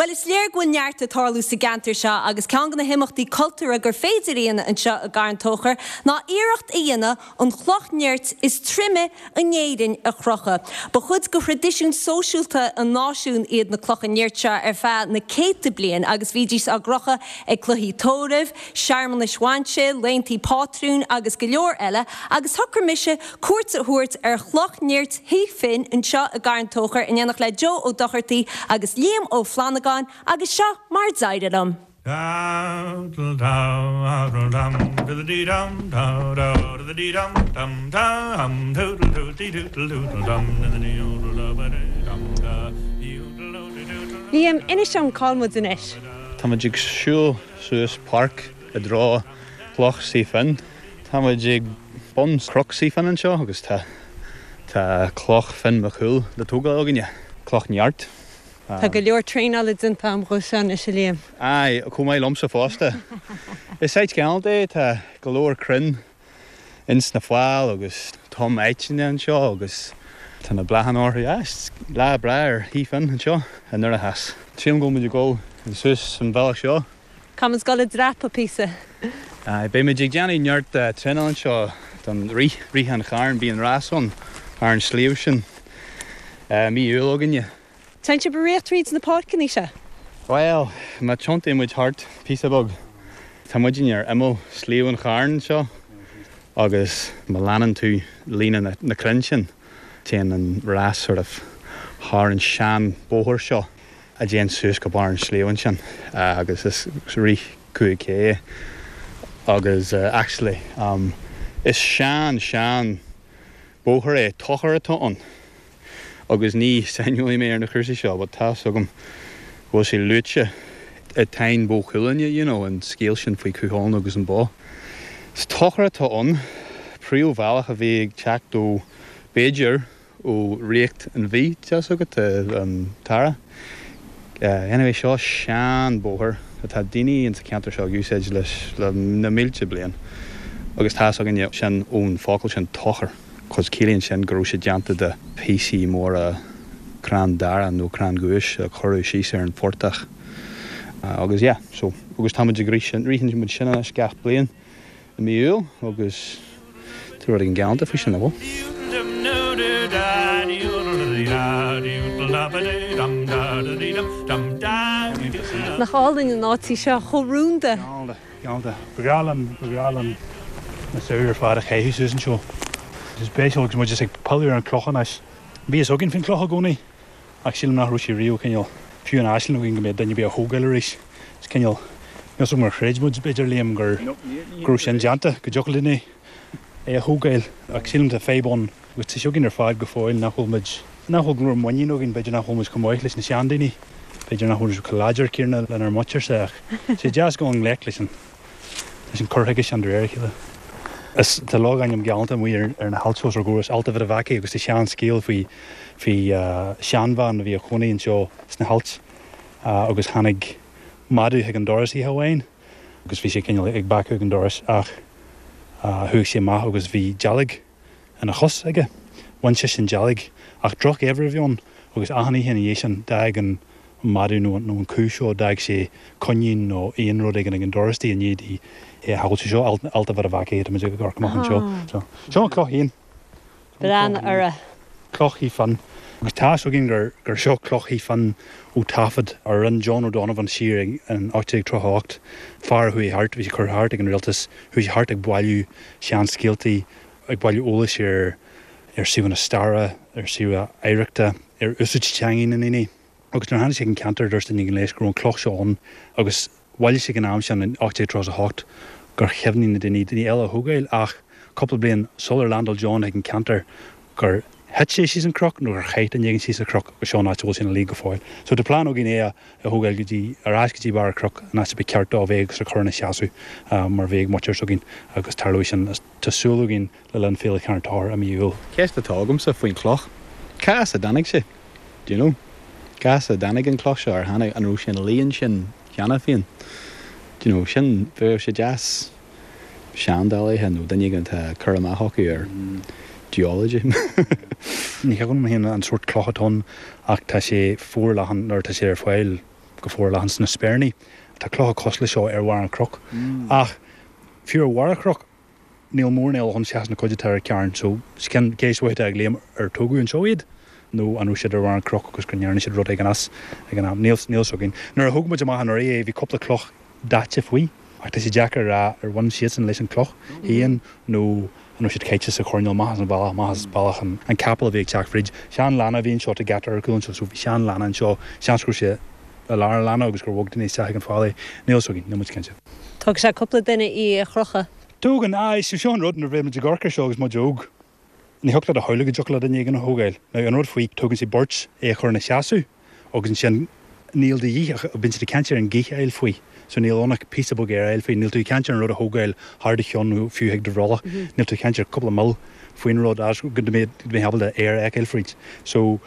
Bhuel, is léir go bhfuil neart ag tarlú sa gceantar seo agus ceann de na himeachtaí cultúrtha gur féidir a dhéanamh anseo i gCarn Tóchair ná iarracht a dhéanamh an chloch nirt is troime in Éirinn a chrochadh. Ba chuid de thraidisiún sóisialta an náisiúin iad na clocha nirt seo ar feadh na céadta bliain agus bhídís á gcrochadh ag cluichí tórraimh, searmanais bhainse, laethanta pátrúin agus go leor eile agus shocraigh mise cuairt a thabhairt ar Chloch Nirt Thigh Finn anseo i gCarn Tóchair in éineacht le Joe Ó Dochartaigh agus Liam Ó Flannagáin agus seo mar a d'éirigh liom. Liam, inis dom cá bhfuil muid anois? Tá muid ag siúl suas páirc i dtreo Chloch Suí Finn. Tá muid ag bun Chnoc Suí Finn anseo agus tá tá Cloch Finn Mac Cumhaill le tógáil againne, Cloch Neart. Tá go leor traenála déanta agam dhó seo anois, a Liam. Aye, chomh maith liomsa fosta. Is áit ghalánta é, tá go leor crainn ins na faill agus tom aiteanna anseo agus tá na bláthanna orthu. Ah, is lá breá ar Thigh Finn anseo i nDoire Theas. Sílim go bhfuil muid ag dul suas an bhealach seo. Caithfidh muid dul ag dreapadh píosa. Aye, beidh muid ag déanamh neart traenáil anseo don rith, Rith an Chairn, bíonn rás ann ar an sliabh sin mí Iúil againne. Téann sibh ag rith tríd na páirceanna seo? Bhuel, má tiontaíonn muid thart píosa beag, tá muidinne ar imeall Sliabh an Chairn anseo agus má leanann tú líne na crainn sin, téann an rás sort of thar an sean bóthar seo. a dtéann suas go barr an sliabh ansin agus is rith 5K é agus actually is sean sean bóthar é, tóchar atá ann agus ní saineolaí mé ar na cúrsaí seo but tá's agam go bhfuil sé luaite i Táin Bó Cúailgne, you know, an scéal sin faoi Cú Chulainn agus an bó. Is tóchar atá ann, príomhbhealach a bhí ag teacht ó b'fhéidir ó Ríocht an Mhí, tá's agat, an Tara. Anyway, seo sean bóthar atá daoine insa cheantar seo ag úsáid leis le na mílte bliain agus tá's againne sin ón focal sin tóchar cos ciallaíonn sin go raibh sé déanta de phíosaí móra crann dara nó crann giúis a cuireadh síos ar an phortach agus yeah, so agus táimid ag rith sin, ritheann muid sin anois gach bliain. i mí Iúil agus tá rud éigin galánta faoi sin, nach bhfuil? Nach álainn an áit í seo, chomh rúnda. Galánta, galánta. Ba bhreá liom, ba bhreá liom na samhraidh ar fad a chaitheamh suas anseo. Is spéisiúil agus muid ag pilleadh ar an cloch anois. Bhí fhios againn faoin cloch i gcónaí. Ach sílim nach raibh sé riamh cineál, fiú in aisling againn go mbeadh duine ar bith á thógáil arís. Is cineál, níl 's agam ar chreid muid, b'fhéidir, Liam, gur, go raibh sin déanta, go dtiocfadh linn é, é a thógáil. Ach sílim tá fadhb ann agus tá sé againn ar fad go fóill nach bhfuil muid, nach bhfuil go leor muinín againn, b'fhéidir nach bhfuil muid chomh maith leis na seandaoine, b'fhéidir nach bhfuil muid chomh láidir céanna lenár muintirse ach tá sé deas dul i ngleic leis an, leis an cur chuige sin de réir a chéile. Is tá logainm galánta amuigh ar na hailt os ár gcomhair, is Allt a' Mhada Bheachaigh agus tá sean-scéal faoi faoi seanbhean a bhí a chónaí anseo sna hailt agus tháinig madadh chuig an doras oíche amháin agus bhí sé cineál ag bacadh ag an doras ach chuaigh sé amach agus bhí dealg ina chos aige. Bhain sise an dealg ach drochgheimhreadh a bhí ann agus achan oíche ina dhiaidh sin d'fhág an madadh nó an cú seo, d'fhág sé coinín nó aon rud éigin ag an doras di i ndiaidh di é a shábháilt. Seo Allt a' Mhada Bheachaigh atá muid ag amharc amach anseo. Seo an cloch féin. Breathnaigh uirthi. Cloch Thigh Finn. Agus tá fhios againn gur gur seo Cloch Thigh Finn ó taifead a rinne John O'Donovan siar in 1838. Fear a chuaigh thart, bhí sé curtha thart ag an rialtas, chuaigh sé thart ag bailiú seanscéaltaí, ag bailiú eolais ar ar suíomhanna staire, ar suíomhanna oidhreachta, ar úsáid teangaí na ndaoine. Agus nuair a tháinig sé chuig an ceantar dúirt duine éigin leis go raibh an cloch seo ann agus Bhailigh sé ag an am sin in 1838 gur chuimhnigh na daoine, daoine eile a thógáil ach cúpla bliain sular landáil John chuig an ceantar gur thit sé síos an cnoc nó gur chaith duine éigin síos an cnoc agus seo an áit a bhfuil sé ina luí go fóill. So tá plean againn é a thógáil go dtí, ar ais go dtí barr an chnoic, an áit a ba cheart dó a bheith agus a chur ina sheasamh mar a bhí ag muintir s'againn agus tarlóidh sin, tá súil againn, le linn Féile Charn Tóchair i mí Iúil. Ceist atá agamsa faoin chloch, cá as a dtáinig sé? Do you know? Cá as a dtáinig an cloch seo? Ar tháinig, an raibh sé ina luí ansin cheana féin? Do you know, sin, bheadh sé deas seandálaithe nó duine éigin atá cur amach acu ar geology. Ní thuigim féin an sórt cloch atá ann ach tá sé forleathan nuair atá sé ar fáil. go forleathan sna spéirní. Tá clocha cosúil leis seo ar bharr an chnoic. Ach fiú ar bharr an chnoic, níl mórán eile ann seachas na cuid atá ar an Charn. So, cén ceist mhaith atá ag Liam, ar tógadh anseo iad nó an raibh siad ar bharr an chnoic agus go ndearna siad rud éigin as ag an am? Níl, níl 's againn. Nuair a thóg muid amach anuraidh é, bhí cúpla cloch daite faoi, ach tá sé deacair a rá ar bhain siadsan leis an cloch féin nó an raibh siad caite sa choirnéal amach as an bhealach, amach as bealach an capall a bhí ag teacht fríd. Sean leanna a bhí anseo, tá geata ar cúl anseo, so bhí sean leanna anseo, seans go raibh sé i lár an leanna agus gur bhog daoine isteach ag an fál é. Níl 's againn, níl muid cinnte. Tógfaidh sé cúpla duine í a chrochadh. Tógann, aye, so seo an rud, nuair a bhí muid ag amharc air seo agus muid óg, ní thiocfadh leat a shamhlú go dtiocfadh le duine éigin a thógáil. Now an rud faoi, tógann sé beirt é a chur ina sheasamh agus ansin níl de dhíth ach, bíonn siad ag caint ar an gaoth a fháil faoi, so níl ann ach píosa beag aer a fháil faoi, níl tú ag caint ar an rud a thógáil thar do cheann nó fiú chuig do bhrollach, níl tú ag caint ar cúpla mil faoin rud as go mbeidh ábalta aer a fheiceáil fríd. So,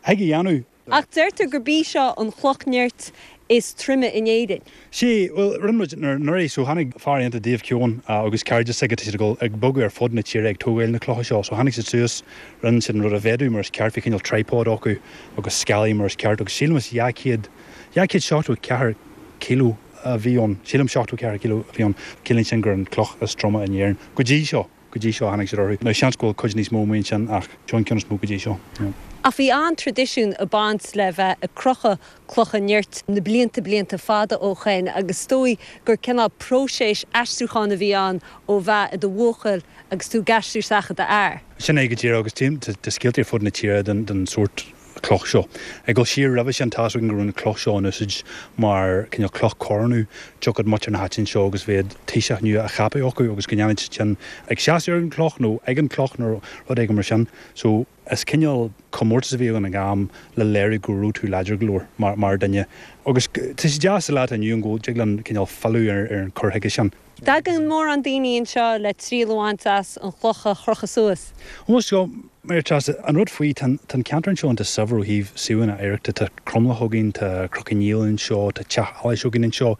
thig a dhéanamh. Ach deirtear gurb í seo an chloch nirt is troime in Éirinn. Sea, bhuel, rinne muid anuraidh, so tháinig fear iontach Dave Keown agus cairde s'aige, tá siad ag dul ag bogadh ar fud na tíre ag tógáil na clocha seo, so tháinig siad suas, rinne siad an rud a mhéadú mar is ceart, bhí cineál tripod acu agus scálaí mar is ceart agus sílim is 200, 274 kilo a bhí ann, sílim 74 kilo a bhí ann, ciallaíonn sin gur an cloch is troime in Éirinn go dtí seo. Go dtí seo tháinig siad orthu. Now seans go bhfuil cuid níos mó amuigh ansin ach seo an ceann is mó go dtí seo. Yeah. Ach bhí an-traidisiún ag baint le bheith ag crochadh clocha nirt na blianta blianta fada ó shoin agus is dóigh gur cineál próiseas aistriúcháin a bhí ann ó bheith i do bhuachaill agus tú ag aistriú isteach i d'fhear. Sin é go díreach agus tá scéalta ar fud na tíre den den sórt cloch seo. Ag dul siar roimhe sin, tá's againn go raibh an cloch seo in úsáid mar cineál cloch coronú. Tiocfadh muintir na háite anseo agus bheadh taoiseach nua á cheapadh acu agus go ndéanfaid siad sin ag seasamh ar an cloch nó ag an cloch nó rud éigin mar sin. So, is cineál comórtas a bhí ann ag an am le léiriú go raibh tú láidir go leor mar mar duine. Agus tá sé deas sa lá atá inniu ann go dtig linn cineál filleadh ar ar an cur chuige sin. Tagann mórán daoine anseo le triail a bhaint as an chloch a chrochadh suas. Bhuel, seo, mar Treasa, an rud faoi, tá an ceantar anseo iontach saibhir ó thaobh suíomhanna oidhreachta. Tá cromleach againn, tá Cnoc an Néill anseo, tá Teach Allais againn anseo.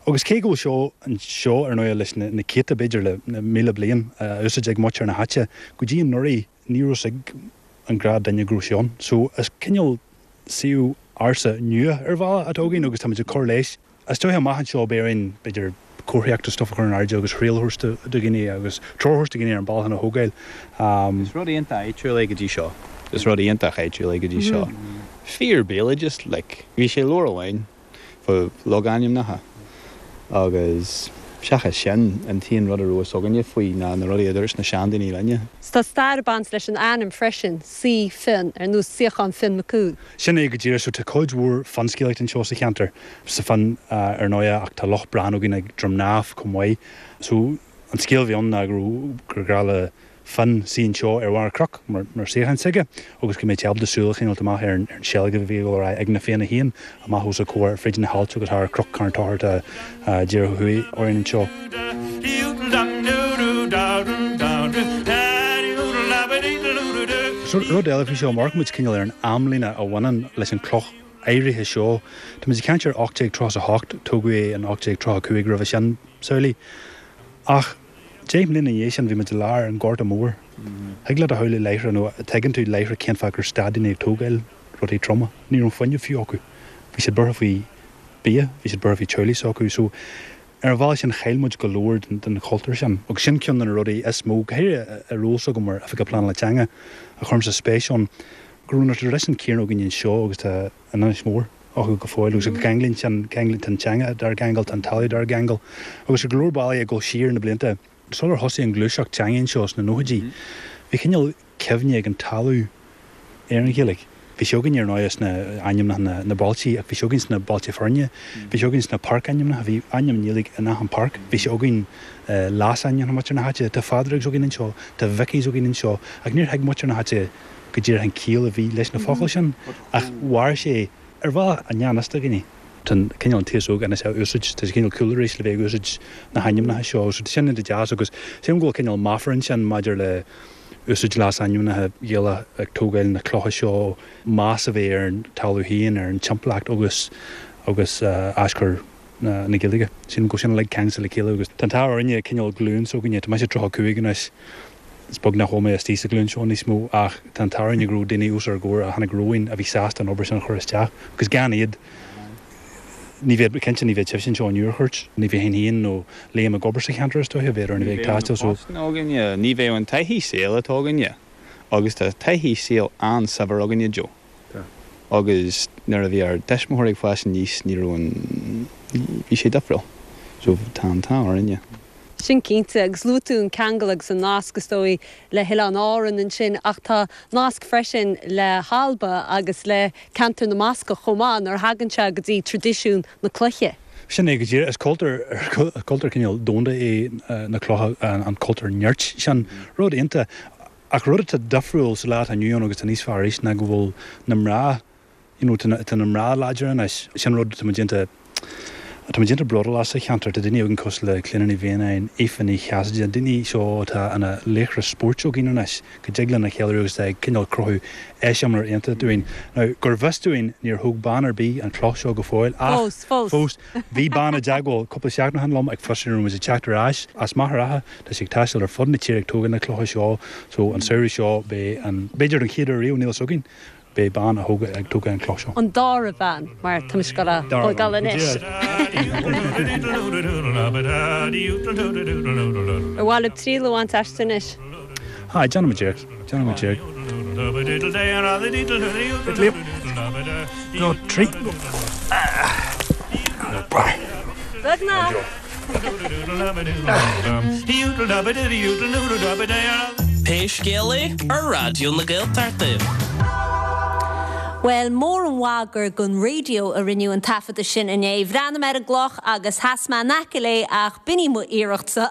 Agus cé go bhfuil seo anseo, ar ndóigh, leis na céadta, b'fhéidir le 1,000 bliain, á úsáid ag muintir na háite, go dtí anuraidh, ní raibh 's ag an gnáthdhuine go raibh sé ann. So, is cineál suíomh ársa nua ar bhealach atá againn agus táimid ag cur leis. Is dóiche amach anseo beidh orainn, b'fhéidir, comharthaíocht is stuff a chur in airde agus thriail a thabhairt do dhaoine agus treoir a thabhairt do dhaoine ar an bealach chun a thógáil. Is rud iontach áitiúil é go dtí seo. Is rud iontach áitiúil é go dtí seo. Fíor béaloideas, like. Bhí sé leabhar amháin fá logainmneacha agus seachas sin, an t-aon rud a raibh fhios againne faoi ná na rudaí a dúirt na seandaoine linne. Tá stair ag baint leis an ainm freisin, Suí Fionn, ar nós suíochán Fionn Mac Cumhaill. Sin é go díreach. So tá cuid mhór finscéalaíocht anseo sa cheantar, sa Finn ar ndóighe, ach tá Loch Bran againn ag Droim nDamh chomh maith. So an scéal a bhí ann ná go raibh, gur ghnách le Finn suí anseo ar bharr cnoc mar mar suíochán s'aige agus go mbeadh sé ábalta súil a choinneáilt amach ar an ar an seilg a bhí ag dul ar aghaidh ag na Fianna féin amach os a chomhair fríd na haillte agus thar Chnoc Charn Tóchair atá díreach ó thuaidh orainn anseo. So, rud eile faoi seo, má amharcann muid cineál ar an amlíne a bhaineann leis an cloch áirithe seo, tá muid ag caint ar 1838, tógadh é in 1835 roimhe sin, samhlaigh. Ach deich mbliana ina dhiaidh sin bhí muid i lár an Ghorta Mhóir. Thig leat a shamhlú láithreach, nó tuigeann tú láithreach cén fáth gur stad daoine ag tógáil rudaí troma. Ní raibh an fuinneamh fiú acu. Bhí siad buartha faoi bia, bhí siad buartha faoi teaghlaigh s'acu. So, Ar an bhealach sin chaill muid go leor den chultúr sin agus sin ceann de na rudaí is mó, go háirithe i ról s'agam mar Oifigeach Pleanála Teanga, a chuirimse spéis ann, go raibh na traidisiúin céanna againn anseo agus atá in Inis Mór acu go fóill agus go gceanglaíonn sin, ceanglaíonn, tá an teanga dár gceangal, tá an talamh dár gceangal agus ar go leor bealaí ag dul siar na blianta sular thosaigh an ghluaiseacht teanga anseo sna nóchaidí, bhí cineál cuimhne ag an talamh ar an Ghaeilge. Bhí sé againn ar ndóigh sna ainmneacha na bailte ach bhí sé againn sna bailte fearainn, bhí sé againn sna páirc-ainmneacha, bhí ainm i nGaeilge in achan páirc, bhí sé againn i leasainmneacha muintir na háite, tá Phádraigs againn anseo, tá Mhickies againn anseo ach níor thuig muintir na háite go díreach an ciall a bhí leis na focail sin ach mhair sé ar bhealach i ngan fhios do dhaoine. Tá an cineál an t-aos óg anois á úsáid, tá sé cineál cool arís le bheith ag úsáid na hainmneacha seo so tá sin iontach deas agus sílim go bhfuil cineál meafar ansin maidir le úsáid leasainmneacha Gaelacha ag tógáil na clocha seo, meas a bheith ar an talamh féin, ar an timpeallacht agus agus aschur na Gaeilge. Sílim go bhfuil sin uilig ceangailte le chéile agus tá an t-ádh orainne cineál glúin s'againne, tá mise 35 anois, is beag nach bhfuil mé istigh sa ghlúin seo níos mó ach tá an t-ádh orainne go raibh daoine os ár gcomhair a tháinig romhainn a bhí sásta an obair sin a chur isteach agus gan iad. Ní bheadh, cinnte ní bheadh sibhse anseo inniu ar chuairt, ní bheinn féin nó Liam ag obair sa cheantar is dóiche, bheadh orainn a bheith ag taisteal so. Ní bheadh na postanna againne, ní bheadh an taithí saoil atá againne agus tá taithí saoil an-saibhir againne Joe. Tá. Agus nuair a bhí ár dtuismitheoirí ag fás aníos ní raibh an, bhí sé difriúil. So tá an t-ádh orainne. Sin cinnte, agus luaigh tú an ceangal agus an nasc is dóigh le hOileáin Árann ansin, ach tá nasc freisin le hAlba agus le ceantar na mBascach chomh maith nuair a thagann sé go dtí traidisiún na cloiche. Sin é go díreach. Is cultúr, cultúr cineál domhanda é na clocha, an cultúr nirt sin. Rud iontach. Ach rud atá difriúil sa lá atá inniu ann agus atá níos fearr arís ná go bhfuil na mná, you know, tá na, tá na mná láidir anois. Sin rud atá muid iontach, atá muid iontach bródúil as sa cheantar. Tá daoine againn cosúil le Clíona Ní Mhianáin, Aoife Ní Chasaide, daoine seo atá ina laochra spóirt againn anois, go dtig linn a cheiliúradh agus atá ag cineál cruthú eiseamláir iontach dúinn. Now, gur bhfios dúinn, níor thóg bean ar bith an chloch seo go fóill ach, Fós, fós. fós, bhí bean i dteagmháil cúpla seachtain ó shin liom ag fiosrú an raibh muid ag teacht ar ais as Machaire Rátha. Tá sí ag taisteal ar fud na tíre ag tógáil na clocha seo so an samhradh seo beidh an, b'fhéidir don chéad uair riamh, níl fhios againn, beidh bean a thóg, ag tógáil an cloch seo. An dara bhean, mar tá mise ag dul a thógáil anois. Ar mhaith libh triail a bhaint aisti anois? Aye, déanfaidh muid iarracht, déanfaidh muid iarracht. Go trí. Beagnach! Pé scéal é, ar Raidió na Gaeltachta. Bhuel, mór an mhaith gur don raidió a rinneadh an taifeadadh sin inné. Bhreathnaigh mé ar an gcloch agus sheas mé in aice léi ach b'in í mo iarrachtsa.